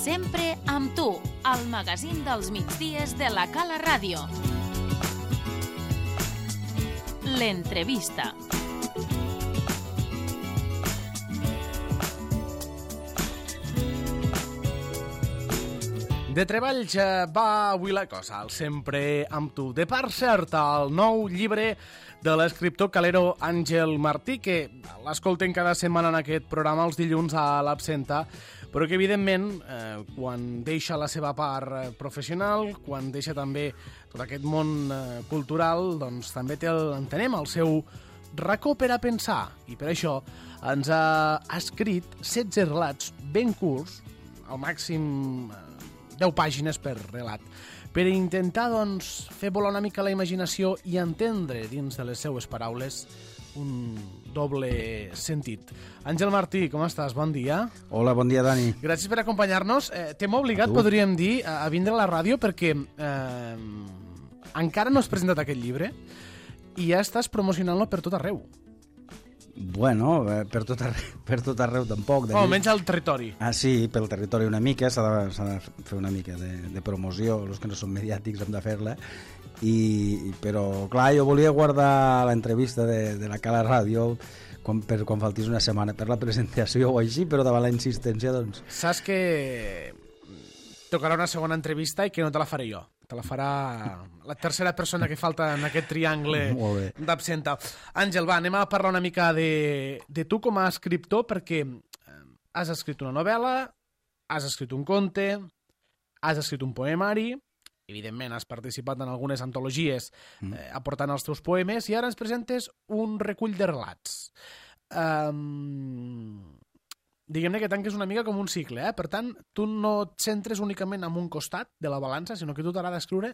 Sempre amb tu, al magazín dels migdies de la Cala Ràdio. L'entrevista. De treballs va avui la cosa, el Sempre amb tu. De part certa, el nou llibre de l'escriptor calero Àngel Martí, que l'escolten cada setmana en aquest programa els dilluns a l'Absenta, però que evidentment quan deixa la seva part professional, quan deixa també tot aquest món cultural, doncs també entenem el seu racó per a pensar, i per això ens ha escrit 16 relats ben curts, al màxim 10 pàgines per relat, per intentar, doncs, fer volar una mica la imaginació i entendre dins de les seues paraules un doble sentit. Àngel Martí, com estàs? Bon dia. Hola, bon dia, Dani. Gràcies per acompanyar-nos. T'hem obligat, podríem dir, a vindre a la ràdio perquè encara no has presentat aquest llibre i ja estàs promocionant-lo per tot arreu. Bueno, per tot arreu tampoc. O almenys al territori. Sí, pel territori una mica, s'ha de fer una mica de promoció, els que no són mediàtics hem de fer-la, però clar, jo volia guardar l'entrevista de la Cala Ràdio quan faltés una setmana per la presentació o així, però davant la insistència, doncs... Saps que tocarà una segona entrevista i que no te la faré jo. Te la farà la tercera persona que falta en aquest triangle d'Absenta. Àngel, va, anem a parlar una mica de tu com a escriptor, perquè has escrit una novel·la, has escrit un conte, has escrit un poemari, evidentment has participat en algunes antologies aportant els teus poemes, i ara ens presentes un recull de relats. Diguem-ne que tanques una mica com un cicle, Per tant, tu no et centres únicament en un costat de la balança, sinó que tu t'agrada escriure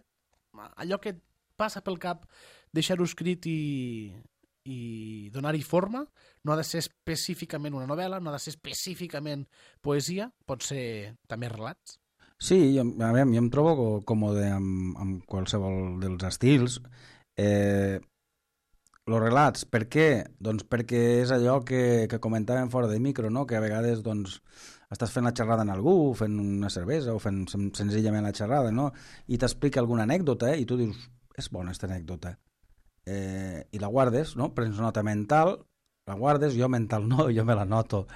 allò que et passa pel cap, deixar-ho escrit i donar-hi forma. No ha de ser específicament una novel·la, no ha de ser específicament poesia, pot ser també relats. Sí, a veure, jo em trobo còmode amb qualsevol dels estils. Els relats, per què? Doncs perquè és allò que comentàvem fora de micro, no? Que a vegades doncs, estàs fent la xerrada amb algú, fent una cervesa o fent senzillament la xerrada, no? I t'explica alguna anècdota i tu dius, és bona aquesta anècdota. I la guardes, no? Prens nota mental, la guardes, jo mental no, jo me la noto.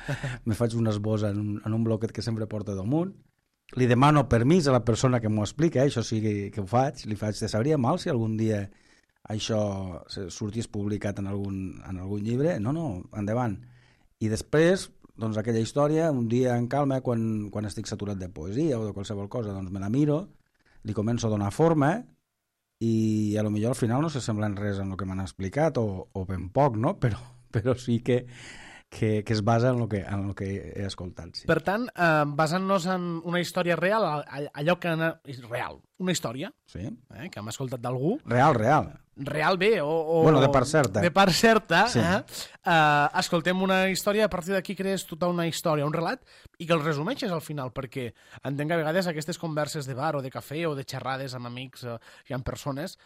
Me faig un esbós en un bloquet que sempre porto damunt. Li demano permís a la persona que m'ho explica, això sí que ho faig, li faig, te sabria mal si algun dia això sortís publicat en algun llibre? No, endavant. I després, doncs aquella història, un dia en calma, quan estic saturat de poesia o de qualsevol cosa, doncs me la miro, li començo a donar forma i a lo millor al final no s'assemblen res en el que m'han explicat o ben poc, no? Però sí que es basa en el que he escoltat. Sí. Per tant, basant-nos en una història real, allò que és real, una història, sí. Que hem escoltat d'algú. Real bé, bueno, de part certa. De part certa, sí. Escoltem una història, a partir d'aquí crees tota una història, un relat, i que el resumeixes al final, perquè entenc que a vegades aquestes converses de bar o de cafè o de xerrades amb amics i amb persones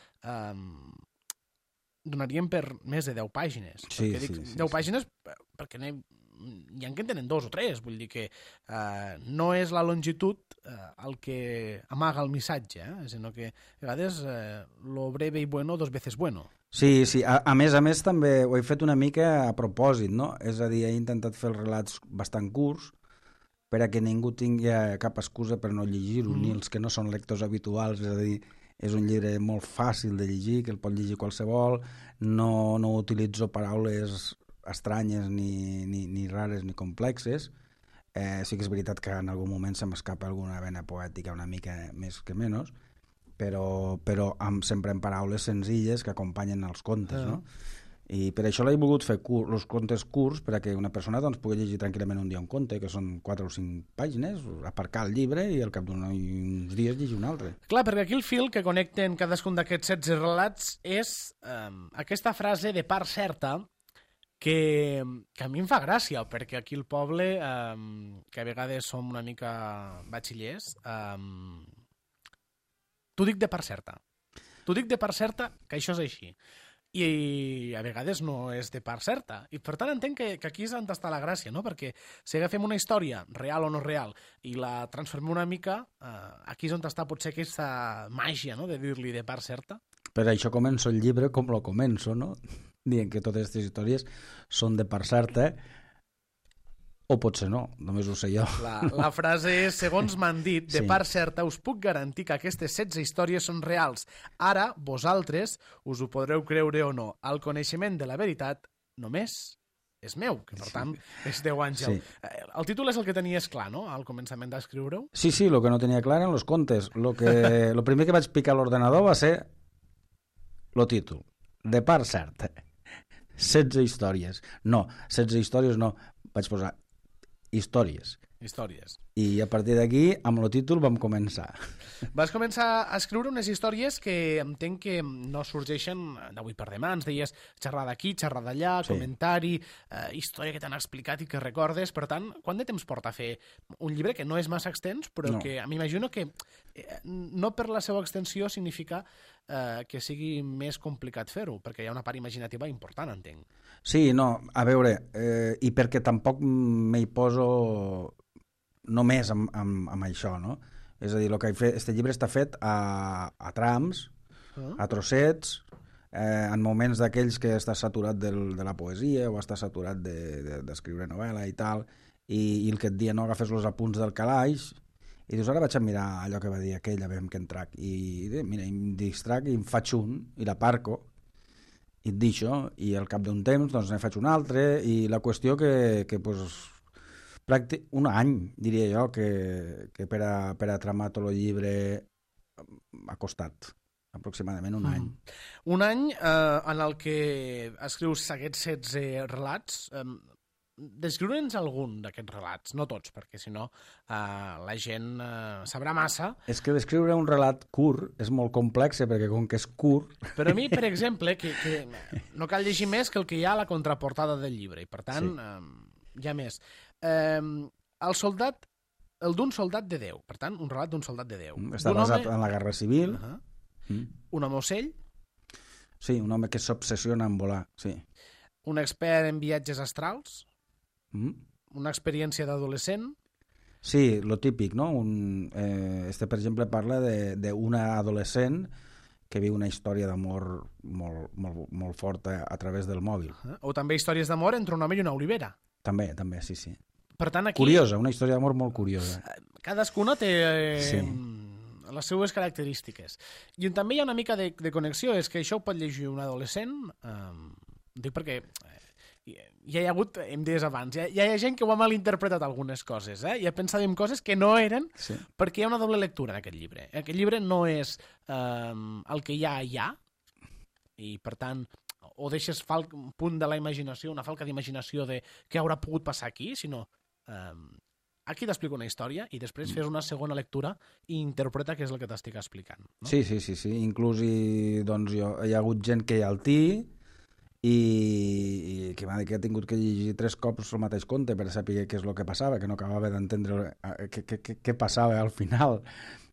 donarien per més de 10 pàgines. Sí, dic 10 pàgines perquè n'hi ha que en tenen 2 o 3, vull dir que no és la longitud el que amaga el missatge, sinó que a vegades lo breve y bueno 2 veces bueno. Sí, a més també ho he fet una mica a propòsit, no? És a dir, he intentat fer els relats bastant curts per a que ningú tingui cap excusa per no llegir-ho, ni els que no són lectors habituals, és a dir, és un llibre molt fàcil de llegir, que el pot llegir qualsevol, no utilitzo paraules estranyes ni rares ni complexes. Sí que és veritat que en algun moment se m'escapa alguna vena poètica una mica més que menys, però sempre en paraules senzilles que acompanyen els contes, no? I per això l'he volgut fer els contes curts, per a que una persona doncs, pugui llegir tranquil·lament un dia un conte, que són 4 o 5 pàgines, aparcar el llibre i al cap d'uns dies llegir un altre. Clar, perquè aquí el fil que connecten cadascun d'aquests 16 relats és aquesta frase de part certa que a mi em fa gràcia, perquè aquí al poble, que a vegades som una mica batxillers, t'ho dic de part certa. T'ho dic de part certa que això és així. i a vegades no és de part certa. I per tant entenc que aquí és on està la gràcia, no? Perquè si agafem una història, real o no real, i la transformem una mica, aquí és on està potser aquesta màgia, no?, de dir-li de part certa. Per això començo el llibre com lo començo, no? Dient que totes aquestes històries són de part certa, o potser no, només ho sé jo. La frase és, segons m'han dit, de part certa, us puc garantir que aquestes 16 històries són reals. Ara, vosaltres, us ho podreu creure o no. El coneixement de la veritat només és meu, que per tant és Déu Àngel. Sí. El títol és el que tenies clar, no?, al començament d'escriure-ho? Sí, el que no tenia clar eren els contes. Lo primer que vaig picar a l'ordenador va ser el títol, de part certa. 16 històries. No, 16 històries no, vaig posar històries. I a partir d'aquí, amb el títol, vam començar. Vas començar a escriure unes històries que entenc que no sorgeixen d'avui per demà. Ens deies xerrar d'aquí, xerrar d'allà, comentari, història que t'han explicat i que recordes. Per tant, quant de temps porta a fer un llibre que no és massa extens, però que m'imagino que no per la seva extensió significa que sigui més complicat fer-ho, perquè hi ha una part imaginativa important, entenc. Sí, no, a veure, i perquè tampoc m'hi poso només amb això, no? És a dir, este llibre està fet a trams, a trossets, en moments d'aquells que estàs saturat de la poesia o estàs saturat d'escriure novel·la i tal, i el que et dia, no, agafes els apunts del calaix i dius, ara vaig a mirar allò que va dir aquell, a veure què em trac. I mira, em distrac i em faig un, i l'aparco, i et deixo, i al cap d'un temps doncs ne faig un altre, i la qüestió que pues, un any, diria jo, que per a tramar tot el llibre ha costat aproximadament un any. Un any en el que escrius aquests 16 relats. Descriure'ns algun d'aquests relats, no tots, perquè si no la gent sabrà massa. És que descriure un relat curt és molt complex, perquè com que és curt... Però a mi, per exemple, que no cal llegir més que el que hi ha a la contraportada del llibre, i per tant hi ha més. El d'un soldat de Déu, per tant, un relat d'un soldat de Déu. Està basat en la Guerra Civil. Un home ocell. Sí, un home que s'obsessiona en volar, sí. Un expert en viatges astrals. Una experiència d'adolescent. Sí, lo típic, no? Per exemple, parla d'una adolescent que viu una història d'amor molt forta a través del mòbil. O també històries d'amor entre un home i una olivera. També, sí. Per tant, aquí... Curiosa, una història d'amor molt curiosa. Cadascuna té les seues característiques. I també hi ha una mica de connexió, és que això ho pot llegir un adolescent, dic perquè... ja hi ha hagut, hem dit abans, ja hi ha gent que ho ha malinterpretat algunes coses, i ha pensat en coses que no eren, perquè hi ha una doble lectura en aquest llibre. Aquest llibre no és el que hi ha, i per tant, o deixes un punt de la imaginació, una falca d'imaginació de què haurà pogut passar aquí, sinó aquí t'explico una història i després fes una segona lectura i interpreta què és el que t'estic explicant. No? Sí. Inclús hi ha hagut gent que hi ha al TI i que m'ha dit que ha tingut que llegir 3 cops el mateix conte per saber què és el que passava, que no acabava d'entendre què passava al final.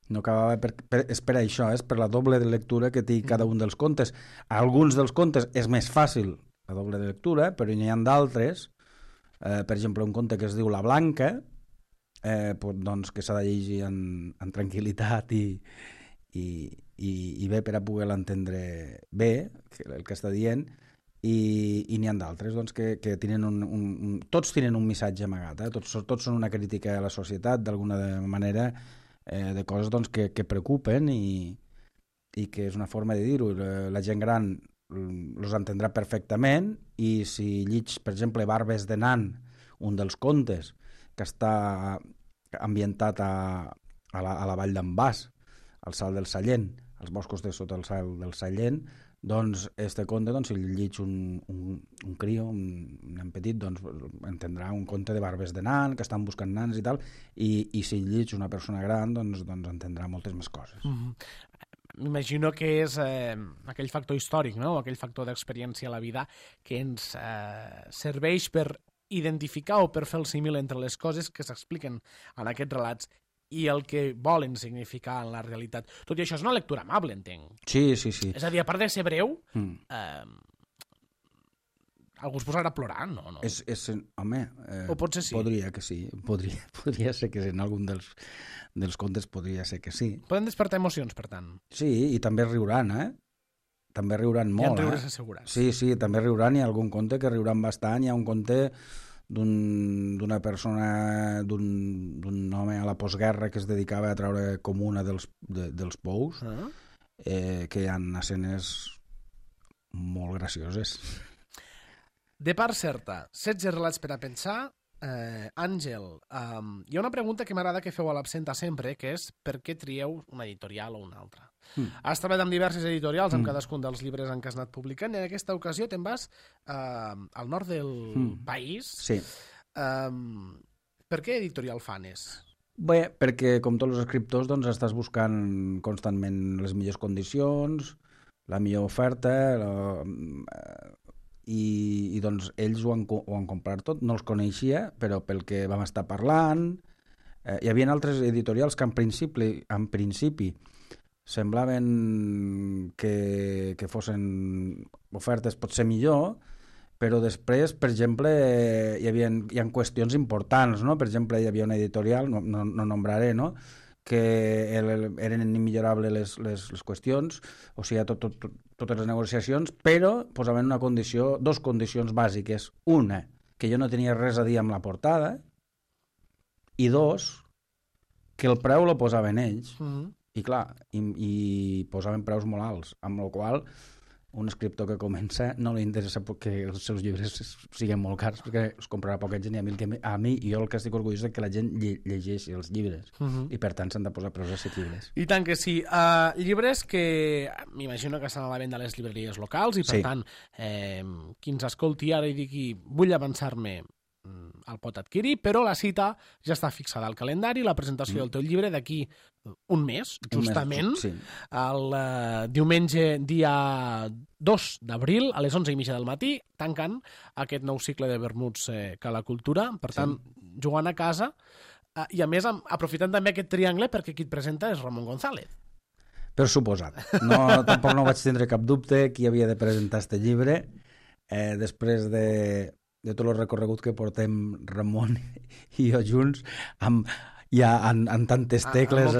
No acabava és per això, és per la doble de lectura que té cada un dels contes. A alguns dels contes és més fàcil la doble de lectura, però n'hi ha d'altres, per exemple, un conte que es diu La Blanca, doncs que s'ha de llegir en tranquil·litat i bé per a poder l'entendre bé, el que està dient, i n'hi ha d'altres doncs, que tenen tots tenen un missatge amagat, tots són una crítica a la societat d'alguna manera, de coses doncs, que preocupen i que és una forma de dir-ho. La gent gran els entendrà perfectament, i si lleig, per exemple, Barbes de Nan, un dels contes que està ambientat a la vall d'en Bas, al Salt del Sallent, als boscos de sota el Salt del Sallent, doncs este conte, si el lleig un crio, un nen petit, doncs entendrà un conte de Barbes de Nan, que estan buscant nans i tal, i si el lleig una persona gran, doncs entendrà moltes més coses. M'imagino que és aquell factor històric, no? Aquell factor d'experiència a la vida que ens serveix per identificar o per fer el símil entre les coses que s'expliquen en aquests relats i el que volen significar en la realitat. Tot i això és una lectura amable, entenc. Sí. És a dir, a part de ser breu, algú es posarà a plorar, no? Home, o potser sí. Podria que sí, podria ser que en algun dels contes podria ser que sí. Poden despertar emocions, per tant. Sí, i també riuran, També riuran molt, Hi ha riures assegurats. Sí, també riuran, hi ha algun conte que riuran bastant, hi ha un conte d'una persona, d'un home a la postguerra que es dedicava a treure comuna dels pous, que hi ha escenes molt gracioses. De part certa, 16 relats per a pensar. Àngel, hi ha una pregunta que m'agrada que feu a l'absenta sempre, que és per què trieu una editorial o una altra? Has treballat amb diverses editorials, amb cadascun dels llibres en què has anat publicant, i en aquesta ocasió te'n vas al nord del país. Sí. Per què editorial Fanes? Bé, perquè com tots els escriptors doncs, estàs buscant constantment les millors condicions, la millor oferta, i doncs ells ho han comprat tot, no els coneixia, però pel que vam estar parlant, hi havia altres editorials que en principi semblaven que fossin ofertes potser millor, però després, per exemple, hi ha qüestions importants, no? Per exemple, hi havia una editorial, no nombraré, no?, que eren immillorables les qüestions, o sigui, totes les negociacions, però posaven dos condicions bàsiques. Una, que jo no tenia res a dir amb la portada, i dos, que el preu lo posaven ells. I clar, i posaven preus molt alts, amb la qual un escriptor que comença no li interessa que els seus llibres siguin molt cars, perquè els comprarà poca gent, i a mi jo el que estic orgullós és que la gent llegeixi els llibres, i per tant s'han de posar preus assequibles. I tant que sí. Llibres que m'imagino que estan a la venda a les llibreries locals, i per tant, qui ens escolti ara i digui vull avançar-me, el pot adquirir, però la cita ja està fixada al calendari, la presentació del teu llibre d'aquí un mes, justament, el diumenge dia 2 d'abril a les 11:30 del matí, tancant aquest nou cicle de vermuts Cala Cultura, per tant, jugant a casa, i a més aprofitant també aquest triangle perquè qui et presenta és Ramon González. Per suposat. Tampoc no vaig tindre cap dubte qui havia de presentar este llibre, després de tot el recorregut que portem Ramon i jo junts en tantes tecles,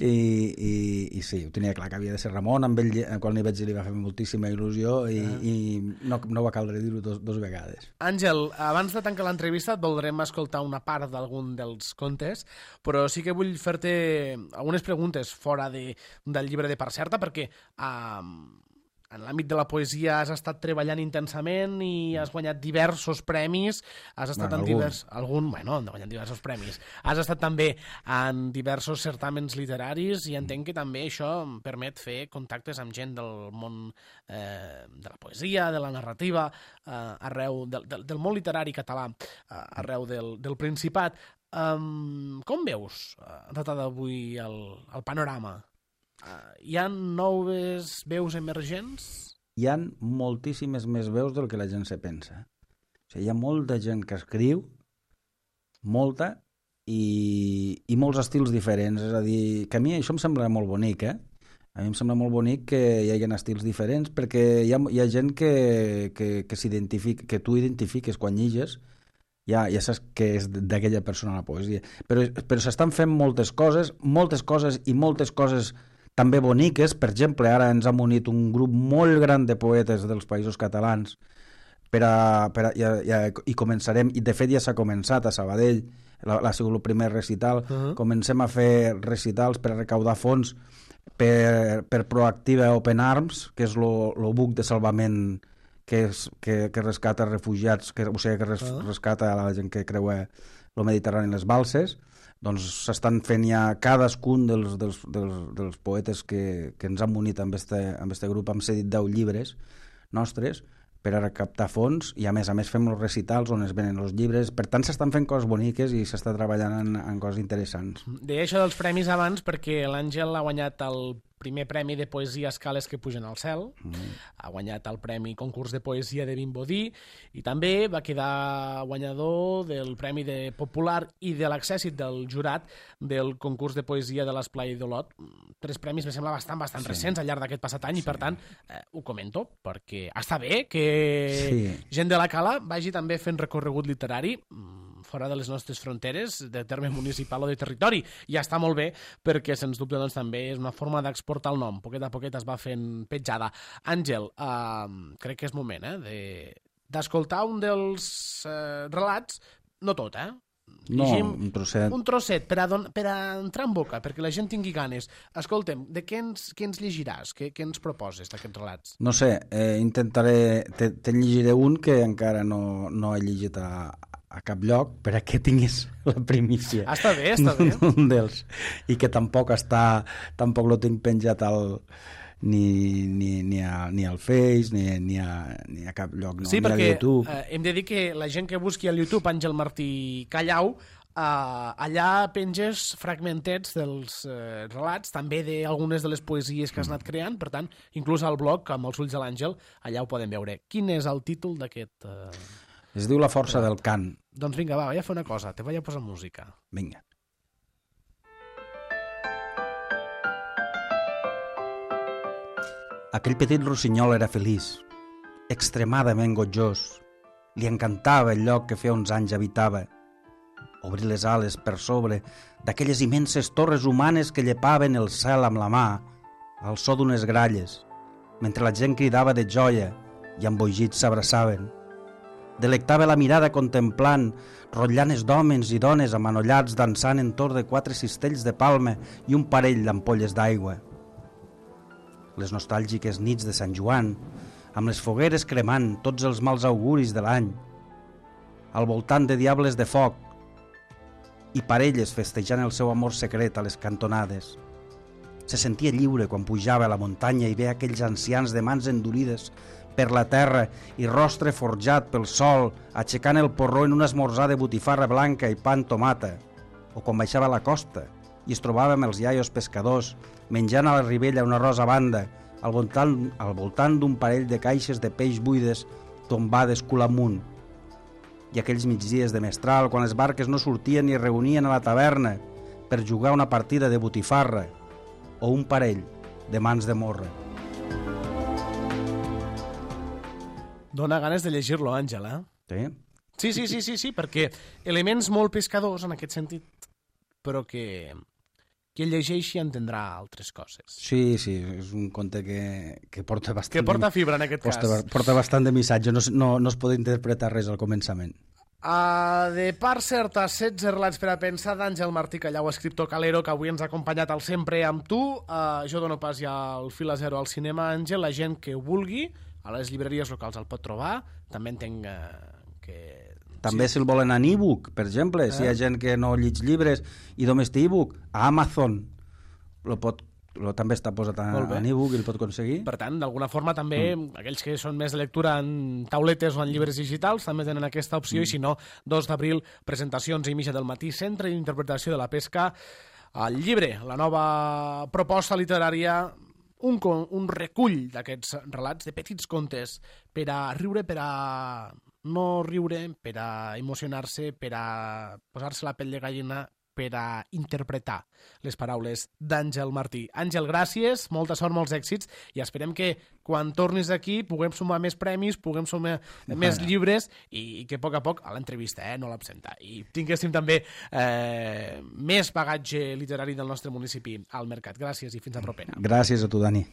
i sí, ho tenia clar que havia de ser Ramon. Amb ell, quan li vaig dir, li va fer moltíssima il·lusió, i no va caldre dir-ho dos vegades. Àngel, abans de tancar l'entrevista et voldrem escoltar una part d'algun dels contes, però sí que vull fer-te algunes preguntes fora del llibre de Part Certa, perquè en l'àmbit de la poesia has estat treballant intensament i has guanyat diversos premis. Has estat han guanyat diversos premis. Has estat també en diversos certàmens literaris, i entenc que també això permet fer contactes amb gent del món de la poesia, de la narrativa, arreu del món literari català, arreu del Principat. Com veus, a data d'avui, el panorama? Hi ha noves veus emergents? Hi ha moltíssimes més veus del que la gent se pensa. O sigui, hi ha molta gent que escriu, molta, i molts estils diferents. És a dir, que a mi això em sembla molt bonic, A mi em sembla molt bonic que hi hagi estils diferents, perquè hi ha gent que s'identifica, que tu identifiques quan lliges, ja saps que és d'aquella persona la poesia. Però s'estan fent moltes coses i moltes coses també boniques. Per exemple, ara ens ha unit un grup molt gran de poetes dels països catalans i començarem, i de fet ja s'ha començat a Sabadell, ha sigut el primer recital. Comencem a fer recitals per a recaudar fons per Proactiva Open Arms, que és el buc de salvament que rescata refugiats, o sigui, que rescata a la gent que creua el Mediterrani i les balses. Doncs s'estan fent ja cadascun dels poetes que ens han unit amb este grup. Hem cedit 10 llibres nostres per a recaptar fons, i a més fem els recitals on es venen els llibres. Per tant, s'estan fent coses boniques i s'està treballant en coses interessants. Deia això dels premis abans perquè l'Àngel ha guanyat el primer premi de poesia Escales que pugen al cel, ha guanyat el premi concurs de poesia de Vimbodí i també va quedar guanyador del premi de popular i de l'accèssit del jurat del concurs de poesia de l'Esplai d'Olot. 3 premis me sembla bastant recents al llarg d'aquest passat any i per tant ho comento perquè està bé que gent de la Cala vagi també fent recorregut literari fora de les nostres fronteres, de terme municipal o de territori. I està molt bé perquè, sens dubte, doncs, també és una forma d'exportar el nom. Poquet a poquet es va fent petjada. Àngel, crec que és moment d'escoltar un dels relats, no tot, Llegim un trosset. Un trosset per a entrar en boca, perquè la gent tingui ganes. Escolta'm, de què ens llegiràs? Què ens proposes d'aquests relats? No sé, intentaré... Te'n llegiré un que encara no he llegit a cap lloc, per a que tinguis la primícia. Està bé. Un dels. I que tampoc lo tinc penjat ni al Face, ni a cap lloc, no, sí, ni a YouTube. Sí, perquè hem de dir que la gent que busqui al YouTube Àngel Martí Callau, allà penges fragmentets dels relats, també d'algunes de les poesies que has anat creant, per tant, inclús al blog, amb els ulls de l'Àngel, allà ho podem veure. Quin és el títol d'aquest... Es diu La força del cant. Doncs vinga, vaig a fer una cosa, te vaig a posar música. Vinga. Aquell petit rossinyol era feliç, extremadament gotjós. Li encantava el lloc que feia uns anys habitava. Obrir les ales per sobre d'aquelles immenses torres humanes que llepaven el cel amb la mà, al so d'unes gralles, mentre la gent cridava de joia i embogits s'abraçaven. Delectava la mirada contemplant rotllanes d'homes i dones amanollats dansant entorn de 4 cistells de palma i un parell d'ampolles d'aigua. Les nostàlgiques nits de Sant Joan, amb les fogueres cremant tots els mals auguris de l'any, al voltant de diables de foc i parelles festejant el seu amor secret a les cantonades. Se sentia lliure quan pujava a la muntanya i veia aquells ancians de mans endurides per la terra i rostre forjat pel sol, aixecant el porró en un esmorzar de botifarra blanca i pa amb tomata, o quan baixava a la costa i es trobava amb els iaios pescadors menjant a la ribella una rosa banda al voltant d'un parell de caixes de peix buides tombades cul amunt. I aquells migdies de mestral, quan les barques no sortien ni es reunien a la taverna per jugar una partida de botifarra o un parell de mans de morra. Dóna ganes de llegir-lo, Àngel, Sí? Sí, perquè elements molt pescadors en aquest sentit, però que qui el llegeixi entendrà altres coses. Sí, és un conte que porta bastant... Que porta fibra, en aquest cas. Porta bastant de missatge, no es pot interpretar res al començament. De part certa, 16 relats per a pensar d'Àngel Martí Callau, escriptor calero, que avui ens ha acompanyat al Sempre amb tu. Jo dono pas ja el fil a zero al cinema, Àngel. La gent que ho vulgui, a les llibreries locals el pot trobar. També entenc que... També si el volen en e-book, per exemple, si hi ha gent que no llig llibres i només té e-book, a Amazon també està posat en e-book i el pot aconseguir. Per tant, d'alguna forma també aquells que són més de lectura en tauletes o en llibres digitals també tenen aquesta opció i si no, 2 d'abril, presentacions a Mitja del Matí, Centre d'Interpretació de la Pesca, el llibre, la nova proposta literària, un recull d'aquests relats de petits contes per a riure, per a no riure, per a emocionar-se, per a posar-se la pell de gallina, per a interpretar les paraules d'Àngel Martí. Àngel, gràcies, molta sort, molts èxits, i esperem que quan tornis aquí puguem sumar més premis, puguem sumar més llibres i que a poc a l'entrevista, no l'absenta, i tinguéssim també més bagatge literari del nostre municipi al mercat. Gràcies i fins a propera. Gràcies a tu, Dani.